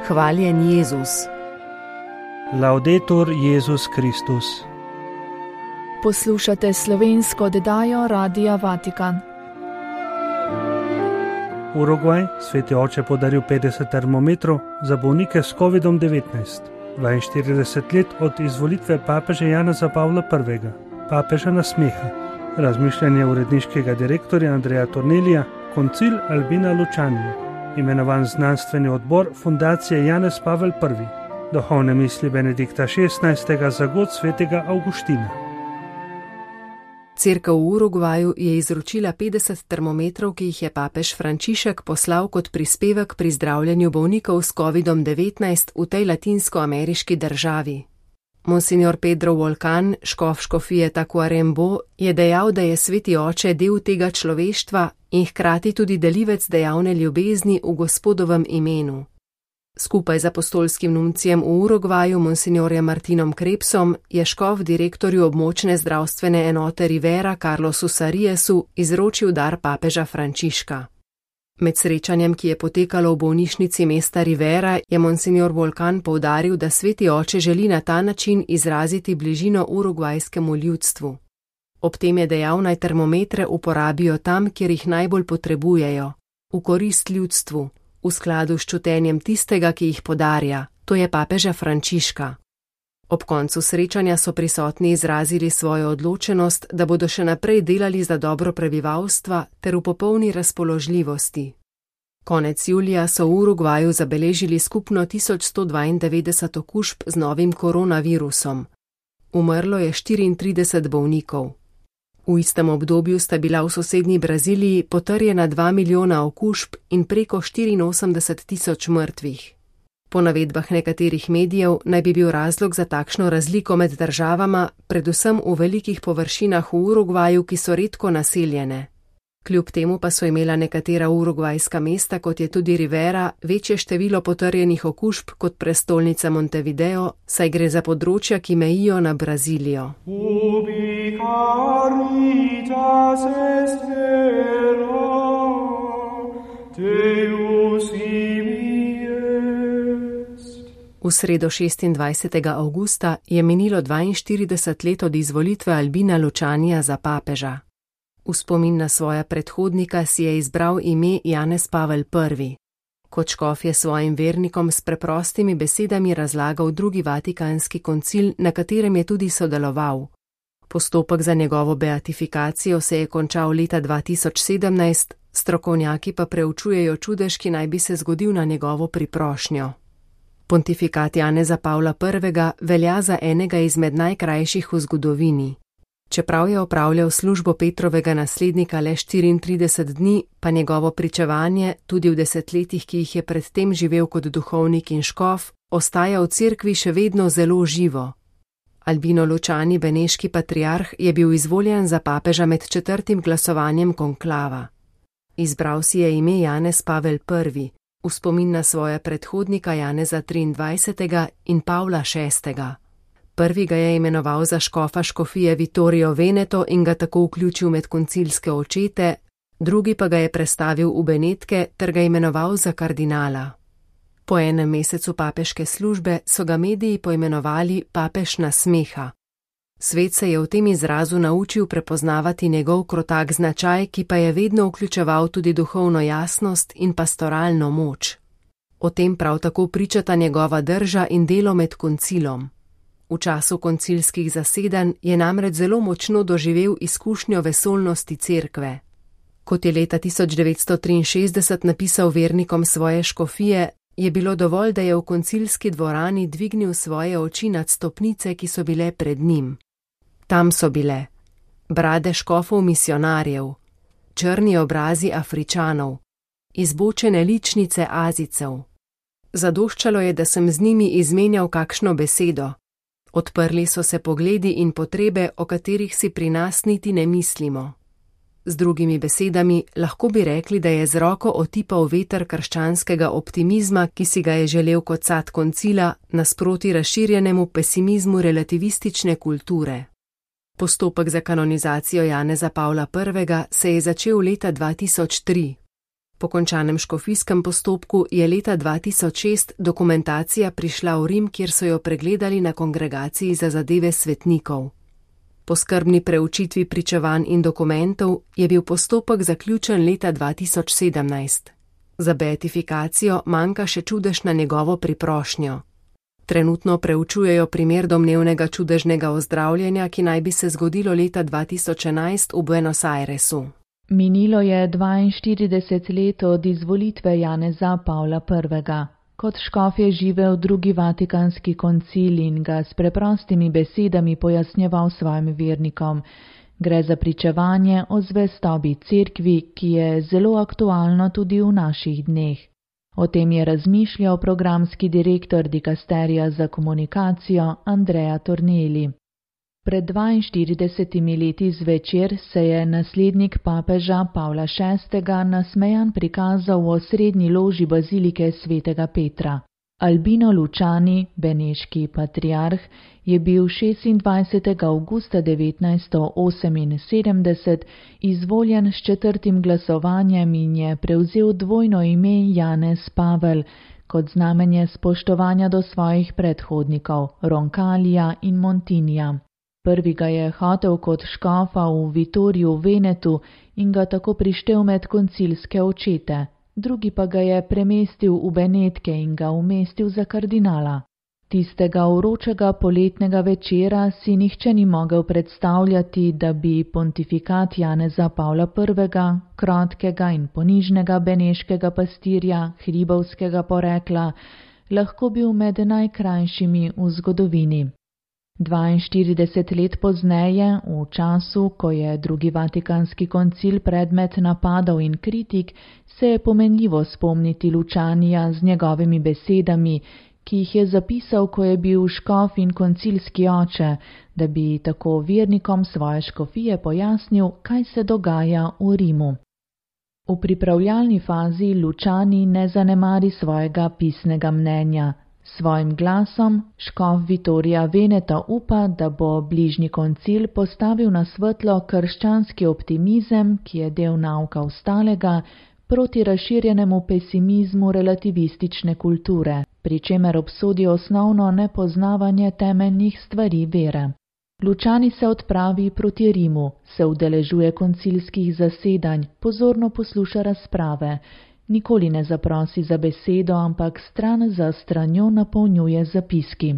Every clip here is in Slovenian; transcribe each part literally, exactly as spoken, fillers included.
Hvaljen Jezus. Laudetur Jezus Kristus. Poslušate slovensko oddajo Radia Vatikan. Urugvaj, sveti oče podaril petdeset termometrov za bolnike s kovidom devetnajst. dvainštirideset let od izvolitve papeža Janeza Pavla prvega. Papeža nasmeha. Razmišljanje uredniškega direktorja Andreja Tornelija, koncil Albina Lučanije. Imenovan znanstveni odbor Fundacije Janez Pavel prvi. Duhovne misli Benedikta šestnajstega za god svetega Avguština. Cerkev v Urugvaju je izročila petdeset termometrov, ki jih je papež Frančišek poslal kot prispevek pri zdravljenju bolnikov s kovidom devetnajst v tej latinskoameriški državi. Monsignor Pedro Volkan, škof škofije Tacuarembó, je dejal, da je sveti oče del tega človeštva in hkrati tudi delivec dejavne ljubezni v Gospodovem imenu. Skupaj z apostolskim nuncijem v Urugvaju, monsignorjem Martinom Krebsom, je škof direktorju območne zdravstvene enote Rivera Carlosu Sariesu izročil dar papeža Frančiška. Med srečanjem, ki je potekalo v bolnišnici mesta Rivera, je monsignor Volkan poudaril, da sveti oče želi na ta način izraziti bližino urugvajskemu ljudstvu. Ob tem je dejal, naj termometre uporabijo tam, kjer jih najbolj potrebujejo, v korist ljudstvu, v skladu s čutenjem tistega, ki jih podarja, to je papeža Frančiška. Ob koncu srečanja so prisotni izrazili svojo odločenost, da bodo še naprej delali za dobro prebivalstva ter v popolni razpoložljivosti. Konec julija so v Urugvaju zabeležili skupno tisoč sto dvaindevetdeset okužb z novim koronavirusom. Umrlo je štiriintrideset bolnikov. V istem obdobju sta bila v sosednji Braziliji potrjena dva milijona okužb in preko štiriinosemdeset tisoč mrtvih. Po navedbah nekaterih medijev naj bi bil razlog za takšno razliko med državama predvsem v velikih površinah v Urugvaju, ki so redko naseljene. Kljub temu pa so imela nekatera urugvajska mesta, kot je tudi Rivera, večje število potrjenih okužb kot prestolnica Montevideo, saj gre za področja, ki mejijo na Brazilijo. V sredo šestindvajsetega avgusta je minilo dvainštirideset let od izvolitve Albina Lučanija za papeža. V spomin na svoja predhodnika si je izbral ime Janez Pavel prvi. Kot škof je svojim vernikom s preprostimi besedami razlagal drugi vatikanski koncil, na katerem je tudi sodeloval. Postopek za njegovo beatifikacijo se je končal leta dva tisoč sedemnajst, strokovnjaki pa preučujejo čudež, ki naj bi se zgodil na njegovo priprošnjo. Pontifikat Janeza Pavla prvega velja za enega izmed najkrajših v zgodovini. Čeprav je opravljal službo Petrovega naslednika le štiriintrideset dni, pa njegovo pričevanje, tudi v desetletjih, ki jih je predtem živel kot duhovnik in škof, ostaja v cerkvi še vedno zelo živo. Albino Lučani, beneški patriarh, je bil izvoljen za papeža med četrtim glasovanjem konklava. Izbral si je ime Janez Pavel prvi, v spomin na svoja predhodnika Janeza triindvajsetega in Pavla šestega. Prvi ga je imenoval za škofa škofije Vittorio Veneto in ga tako vključil med koncilske očete, drugi pa ga je prestavil v Benetke ter ga imenoval za kardinala. Po enem mesecu papeške službe so ga mediji poimenovali papež nasmeha. Svet se je v tem izrazu naučil prepoznavati njegov krotak značaj, ki pa je vedno vključeval tudi duhovno jasnost in pastoralno moč. O tem prav tako pričata njegova drža in delo med koncilom. V času koncilskih zasedanj je namreč zelo močno doživel izkušnjo vesolnosti cerkve. Kot je leta tisoč devetsto triinšestdeset napisal vernikom svoje škofije, je bilo dovolj, da je v koncilski dvorani dvignil svoje oči nad stopnice, ki so bile pred njim. Tam so bile brade škofov misionarjev, črni obrazi Afričanov, izbočene ličnice Azijcev. Zadoščalo je, da sem z njimi izmenjal kakšno besedo. Odprli so se pogledi in potrebe, o katerih si pri nas niti ne mislimo. Z drugimi besedami, lahko bi rekli, da je z roko otipal veter krščanskega optimizma, ki si ga je želel kot sad koncila, nasproti razširjenemu pesimizmu relativistične kulture. Postopek za kanonizacijo Janeza Pavla prvega se je začel leta dva tisoč tri. Po končanem škofijskem postopku je leta dva tisoč šest dokumentacija prišla v Rim, kjer so jo pregledali na kongregaciji za zadeve svetnikov. Po skrbni preučitvi pričevanj in dokumentov je bil postopek zaključen leta dva tisoč sedemnajst. Za beatifikacijo manjka še čudež na njegovo priprošnjo. Trenutno preučujejo primer domnevnega čudežnega ozdravljenja, ki naj bi se zgodilo leta dva tisoč enajst v Buenos Airesu. Minilo je dvainštirideset let od izvolitve Janeza Pavla prvega. Kot škof je živel drugi vatikanski koncil in ga s preprostimi besedami pojasnjeval svojim vernikom. Gre za pričevanje o zvestobi cerkvi, ki je zelo aktualno tudi v naših dneh. O tem je razmišljal programski direktor dikasterija za komunikacijo Andrea Tornelli. Pred dvainštiridesetimi leti zvečer se je naslednik papeža Pavla šestega nasmejan prikazal v osrednji loži bazilike svetega Petra. Albino Luciani, beneški patriarh, je bil šestindvajsetega avgusta devetnajststo oseminsedemdeset izvoljen s četrtim glasovanjem in je prevzel dvojno ime Janez Pavel kot znamenje spoštovanja do svojih predhodnikov Roncalija in Montinija. Prvi ga je hotel kot škofa v Vitoriju v Venetu in ga tako prištel med koncilske očete, drugi pa ga je premestil v Benetke in ga umestil za kardinala. Tistega vročega poletnega večera si nihče ni mogel predstavljati, da bi pontifikat Janeza Pavla prvega, krotkega in ponižnega beneškega pastirja, hribovskega porekla, lahko bil med najkrajšimi v zgodovini. dvainštirideset let pozneje, v času, ko je drugi vatikanski koncil predmet napadov in kritik, se je pomenljivo spomniti Lucianija z njegovimi besedami, ki jih je zapisal, ko je bil škof in koncilski oče, da bi tako vernikom svoje škofije pojasnil, kaj se dogaja v Rimu. V pripravljalni fazi Luciani ne zanemari svojega pisnega mnenja. Svojim glasom škof Vitorija Veneta upa, da bo bližnji koncil postavil na svetlo krščanski optimizem, ki je del nauka ostalega, proti razširjenemu pesimizmu relativistične kulture, pri čemer obsodi osnovno nepoznavanje temeljnih stvari vere. Luciani se odpravi proti Rimu, se udeležuje koncilskih zasedanj, pozorno posluša razprave, nikoli ne zaprosi za besedo, ampak stran za stranjo napolnjuje zapiski.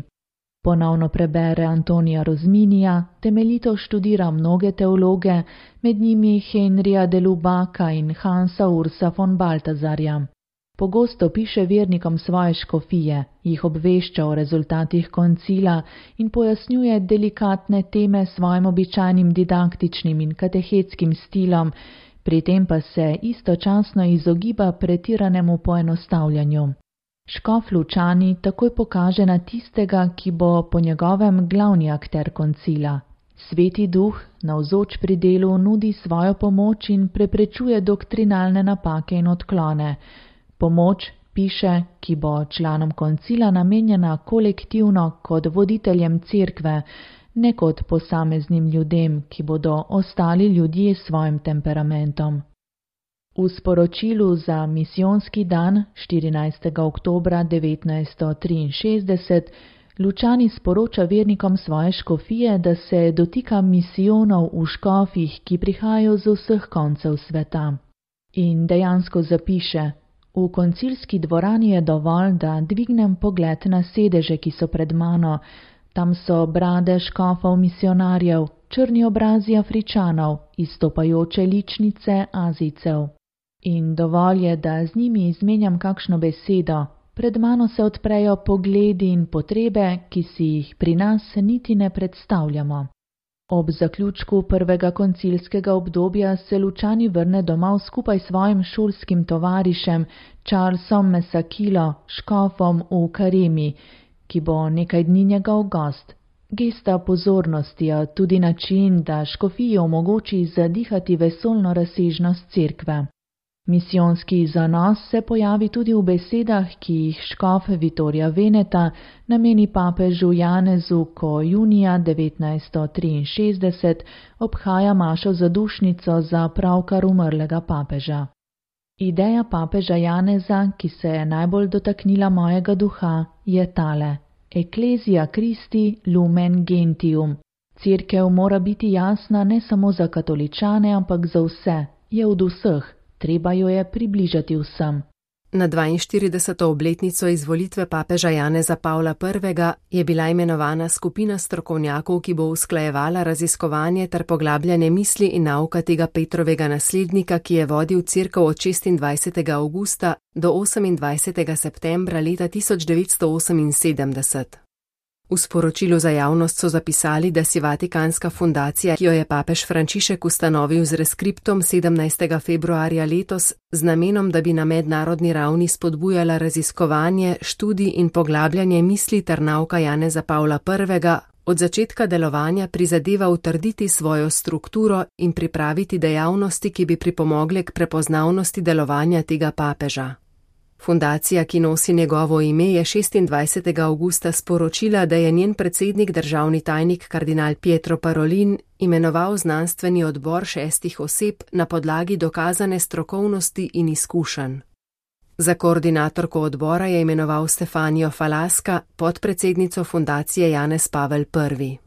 Ponovno prebere Antonija Rozminija, temeljito študira mnoge teologe, med njimi Henrija de Lubaka in Hansa Ursa von Baltazarja. Pogosto piše vernikom svoje škofije, jih obvešča o rezultatih koncila in pojasnjuje delikatne teme svojim običajnim didaktičnim in katehetskim stilom, pri tem pa se istočasno izogiba pretiranemu poenostavljanju. Škof Luciani takoj pokaže na tistega, ki bo po njegovem glavni akter koncila. Sveti duh, navzoč pri delu, nudi svojo pomoč in preprečuje doktrinalne napake in odklone. Pomoč, piše, ki bo članom koncila namenjena kolektivno kot voditeljem cerkve, ne kot posameznim ljudem, ki bodo ostali ljudje s svojim temperamentom. V sporočilu za misijonski dan štirinajstega oktobra devetnajststo triinšestdeset Luciani sporoča vernikom svoje škofije, da se dotika misijonov v škofih, ki prihajajo z vseh koncev sveta. In dejansko zapiše: v koncilski dvorani je dovolj, da dvignem pogled na sedeže, ki so pred mano. Tam so brade škofov misionarjev, črni obrazi Afričanov, izstopajoče ličnice Azijcev. In dovolj je, da z njimi izmenjam kakšno besedo. Pred mano se odprejo pogledi in potrebe, ki si jih pri nas niti ne predstavljamo. Ob zaključku prvega koncilskega obdobja se Luciani vrne domov skupaj s svojim šolskim tovarišem Charlesom Mesakilo, škofom v Karemi, ki bo nekaj dni njegov gost. Gesta pozornosti je tudi način, da škofiji omogoči zadihati vesoljno razsežnost cerkve. Misijonski zanos se pojavi tudi v besedah, ki jih škof Vitorija Veneta nameni papežu Janezu, ko junija devetnajststo triinšestdeset obhaja mašo zadušnico za pravkar umrlega papeža. Ideja papeža Janeza, ki se je najbolj dotaknila mojega duha, je tale: Ecclesia Christi lumen gentium. Cerkev mora biti jasna ne samo za katoličane, ampak za vse, je od vseh, treba jo je približati vsem. Na dvainštirideseto obletnico izvolitve papeža Janeza Pavla prvega je bila imenovana skupina strokovnjakov, ki bo usklajevala raziskovanje ter poglabljanje misli in nauka tega Petrovega naslednika, ki je vodil cerkev od šestindvajsetega avgusta do osemindvajsetega septembra leta tisoč devetsto oseminsedemdeset. V sporočilu za javnost so zapisali, da si Vatikanska fundacija, ki jo je papež Frančišek ustanovil z reskriptom sedemnajstega februarja letos, z namenom, da bi na mednarodni ravni spodbujala raziskovanje, študij in poglabljanje misli ter nauka Janeza Pavla prvega, od začetka delovanja prizadeva utrditi svojo strukturo in pripraviti dejavnosti, ki bi pripomogle k prepoznavnosti delovanja tega papeža. Fundacija, ki nosi njegovo ime, je šestindvajsetega avgusta sporočila, da je njen predsednik državni tajnik kardinal Pietro Parolin imenoval znanstveni odbor šestih oseb na podlagi dokazane strokovnosti in izkušenj. Za koordinatorko odbora je imenoval Stefanijo Falaska, podpredsednico fundacije Janez Pavel prvi.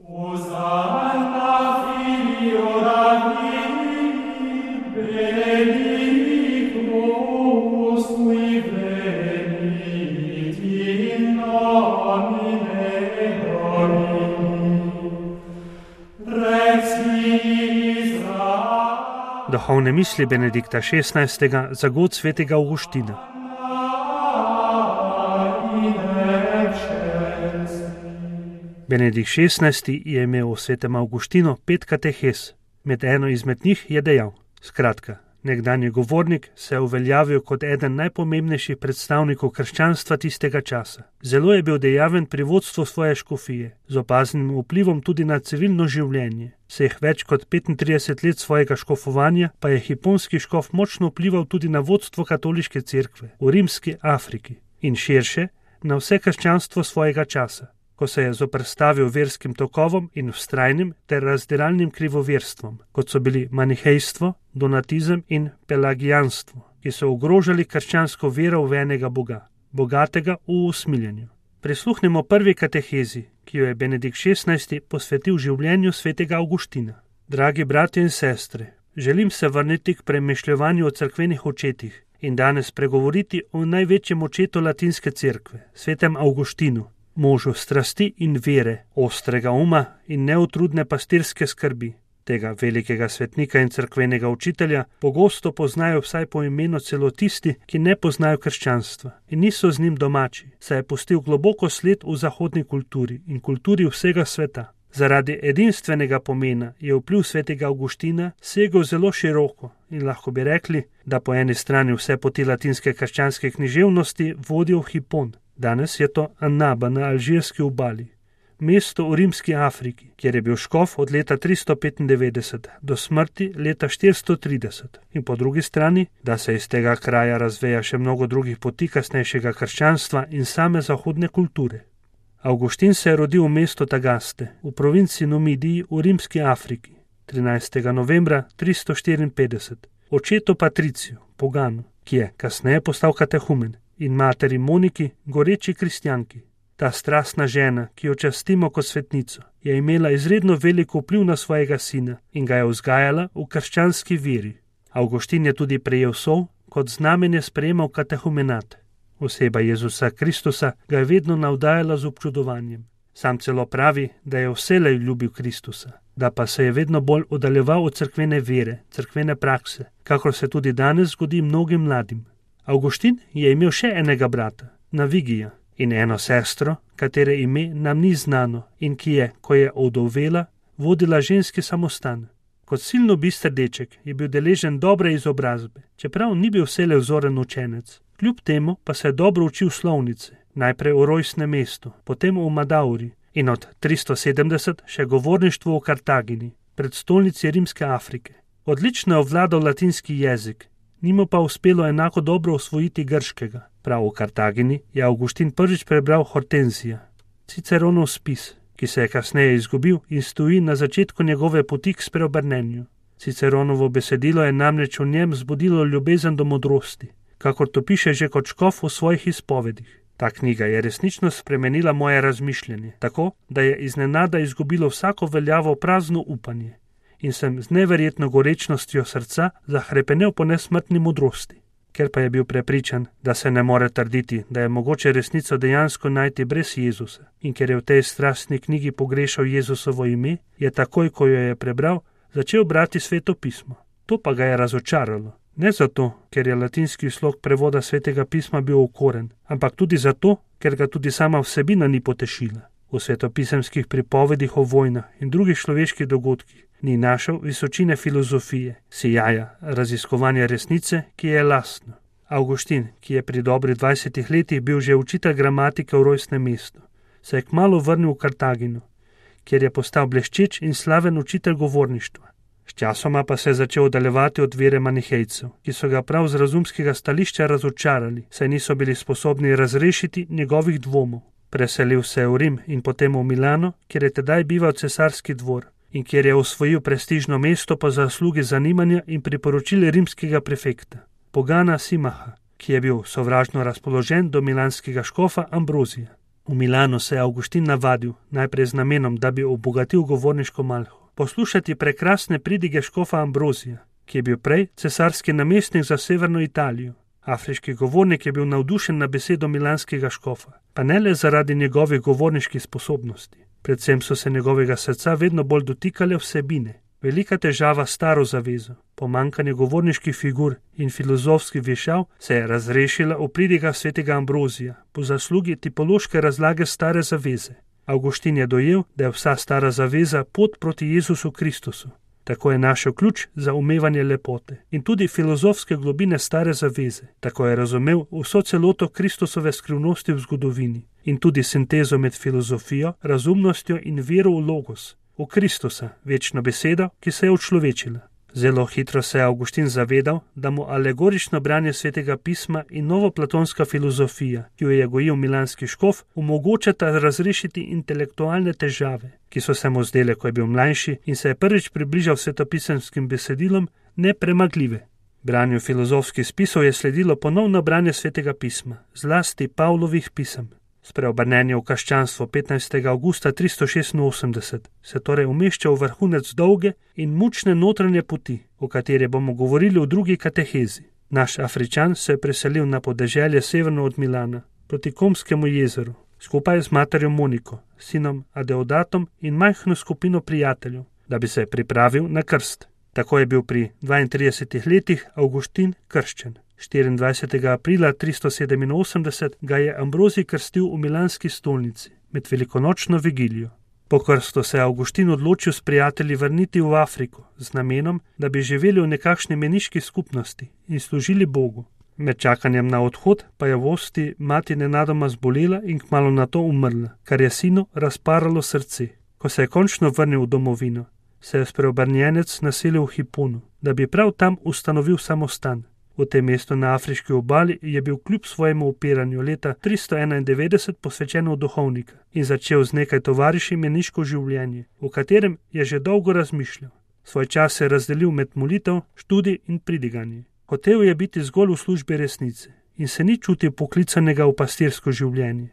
Duhovne misli Benedikta šestnajstega za god svetega Avguština. Benedikt šestnajsti je imel v svetem Avguštinu pet katehes. Med eno izmed njih je dejal: skratka, nekdanji govornik se je uveljavil kot eden najpomembnejših predstavnikov krščanstva tistega časa. Zelo je bil dejaven pri vodstvu svoje škofije, z opaznim vplivom tudi na civilno življenje. Vseh več kot petintrideset let svojega škofovanja pa je hiponski škof močno vplival tudi na vodstvo katoliške cerkve v rimski Afriki in širše na vse krščanstvo svojega časa, ko se je zoperstavil verskim tokovom in vztrajnim ter razdiralnim krivoverstvom, kot so bili manihejstvo, donatizem in pelagijanstvo, ki so ogrožali krščansko vero v enega Boga, bogatega v usmiljenju. Prisluhnemo prvi katehezi, ki jo je Benedikt šestnajsti posvetil življenju svetega Avguština. Dragi bratje in sestre, želim se vrniti k premišljevanju o cerkvenih očetih in danes pregovoriti o največjem očetu latinske cerkve, svetem Avguštinu, možu strasti in vere, ostrega uma in neutrudne pastirske skrbi. Tega velikega svetnika in cerkvenega učitelja pogosto poznajo vsaj po imenu celo tisti, ki ne poznajo krščanstva in niso z njim domači, saj je pustil globoko sled v zahodni kulturi in kulturi vsega sveta. Zaradi edinstvenega pomena je vpliv svetega Avguština segel zelo široko in lahko bi rekli, da po eni strani vse poti latinske krščanske književnosti vodijo v Hipon. Danes je to Annaba na alžirski obali, mesto v rimski Afriki, kjer je bil škof od leta tristo petindevetdeset do smrti leta štiristo trideset. In po drugi strani, da se iz tega kraja razveja še mnogo drugih poti kasnejšega krščanstva in same zahodne kulture. Avguštin se je rodil v mestu Tagaste, v provinci Numidiji v rimski Afriki, trinajstega novembra tristo štiriinpetdeset, očetu Patriciju, poganu, ki je kasneje postal katehumen, in materi Moniki, goreči kristjanki. Ta strastna žena, ki jo častimo kot svetnico, je imela izredno veliko vpliv na svojega sina in ga je vzgajala v krščanski veri. Avguštin je tudi prejel sol, kot znamenje sprejemal katehumenat. Oseba Jezusa Kristusa ga je vedno navdajala z občudovanjem. Sam celo pravi, da je vselej ljubil Kristusa, da pa se je vedno bolj oddaljeval od cerkvene vere, cerkvene prakse, kakor se tudi danes zgodi mnogim mladim. Avguštin je imel še enega brata, Navigija, in eno sestro, katere ime nam ni znano in ki je, ko je ovdovela, vodila ženski samostan. Kot silno bister deček je bil deležen dobre izobrazbe, čeprav ni bil vselej vzoren učenec. Kljub temu pa se je dobro učil slovnice, najprej v rojstnem mestu, potem v Madauri in od tristo sedemdeset še govorništvo v Kartagini, predstolnici rimske Afrike. Odlično je obvladal latinski jezik, ni mu pa uspelo enako dobro osvojiti grškega. Prav v Kartagini je Avguštin prvič prebral Hortenzija, Ciceronov spis, ki se je kasneje izgubil in stoji na začetku njegove poti k spreobrnenju. Ciceronovo besedilo je namreč v njem zbudilo ljubezen do modrosti, kakor to piše že kot škof v svojih izpovedih. Ta knjiga je resnično spremenila moje razmišljanje, tako, da je iznenada izgubilo vsako veljavo prazno upanje in sem z neverjetno gorečnostjo srca zahrepenel po nesmrtni modrosti. Ker pa je bil prepričan, da se ne more trditi, da je mogoče resnico dejansko najti brez Jezusa, in ker je v tej strastni knjigi pogrešal Jezusovo ime, je takoj, ko jo je prebral, začel brati Sveto pismo. To pa ga je razočaralo. Ne zato, ker je latinski slog prevoda Svetega pisma bil okoren, ampak tudi zato, ker ga tudi sama vsebina ni potešila. V svetopisemskih pripovedih o vojnah in drugih človeških dogodkih ni našel visočine filozofije, sijaja, raziskovanja resnice, ki je lastno. Avguštin, ki je pri dobrih dvajsetih letih bil že učitelj gramatike v rojstnem mestu, se je kmalu vrnil v Kartagino, kjer je postal bleščeč in slaven učitelj govorništva. Sčasoma pa se je začel oddaljevati od vere manihejcev, ki so ga prav z razumskega stališča razočarali, saj niso bili sposobni razrešiti njegovih dvomov. Preselil se je v Rim in potem v Milano, kjer je tedaj bival cesarski dvor in kjer je osvojil prestižno mesto po zaslugi zanimanja in priporočil rimskega prefekta, Pogana Simaha, ki je bil sovražno razpoložen do milanskega škofa Ambrozija. V Milano se je Avguštin navadil, najprej z namenom, da bi obogatil govorniško malho, poslušati prekrasne pridige škofa Ambrozija, ki je bil prej cesarski namestnik za severno Italijo. Afriški govornik je bil navdušen na besedo milanskega škofa, pa ne le zaradi njegovih govorniških sposobnosti. Predvsem so se njegovega srca vedno bolj dotikale vsebine. Velika težava s staro zavezo, pomanjkanje govorniških figur in filozofskih vešav se je razrešila v pridigah svetega Ambrozija po zaslugi tipološke razlage stare zaveze. Avguštin je dojel, da je vsa stara zaveza pot proti Jezusu Kristusu. Tako je našel ključ za umevanje lepote in tudi filozofske globine stare zaveze. Tako je razumel vso celoto Kristusove skrivnosti v zgodovini in tudi sintezo med filozofijo, razumnostjo in vero v Logos, v Kristusa, večno besedo, ki se je učlovečila. Zelo hitro se je Avguštin zavedal, da mu alegorično branje Svetega pisma in novoplatonska filozofija, ki jo je gojil milanski škof, omogočata razrešiti intelektualne težave, ki so se mu zdele, ko je bil mlajši in se je prvič približal svetopisemskim besedilom, nepremagljive. Branju filozofskih spisov je sledilo ponovno branje Svetega pisma, zlasti Pavlovih pisem. Spreobrnenje v krščanstvo petnajstega avgusta tristo šestinosemdeset se torej umešča v vrhunec dolge in mučne notranje poti, o kateri bomo govorili v drugi katehezi. Naš Afričan se je preselil na podeželje severno od Milana, proti Komskemu jezeru, skupaj z materjo Moniko, sinom Adeodatom in majhno skupino prijateljev, da bi se pripravil na krst. Tako je bil pri dvaintridesetih letih Avguštin krščen. štiriindvajsetega aprila tristo sedeminosemdeset ga je Ambrozij krstil v milanski stolnici med velikonočno vigilijo. Po krstu se je Avguštin odločil s prijatelji vrniti v Afriko z namenom, da bi živeli v nekakšni meniški skupnosti in služili Bogu. Med čakanjem na odhod pa je v Osti mati nenadoma zbolela in kmalu nato umrla, kar je sinu razparalo srce. Ko se je končno vrnil v domovino, se je spreobrnjenec naselil v Hiponu, da bi prav tam ustanovil samostan. V tem mestu na afriški obali je bil kljub svojemu upiranju leta tristo enaindevetdeset posvečen v duhovnika in začel z nekaj tovariši meniško življenje, v katerem je že dolgo razmišljal. Svoj čas se je razdelil med molitev, študij in pridiganje. Hotel je biti zgolj v službi resnice in se ni čutil poklicanega v pastirsko življenje.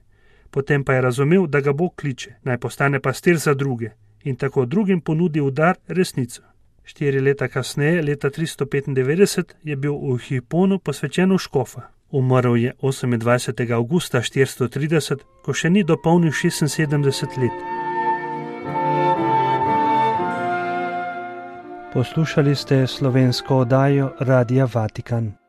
Potem pa je razumel, da ga Bog kliče, naj postane pastir za druge in tako drugim ponudi v dar resnico. Štiri leta kasneje, leta tristo petindevetdeset, je bil v Hiponu posvečen v škofa. Umrl je osemindvajsetega avgusta štiristo trideset, ko še ni dopolnil šestinsedemdeset let. Poslušali ste slovensko oddajo Radia Vatikan.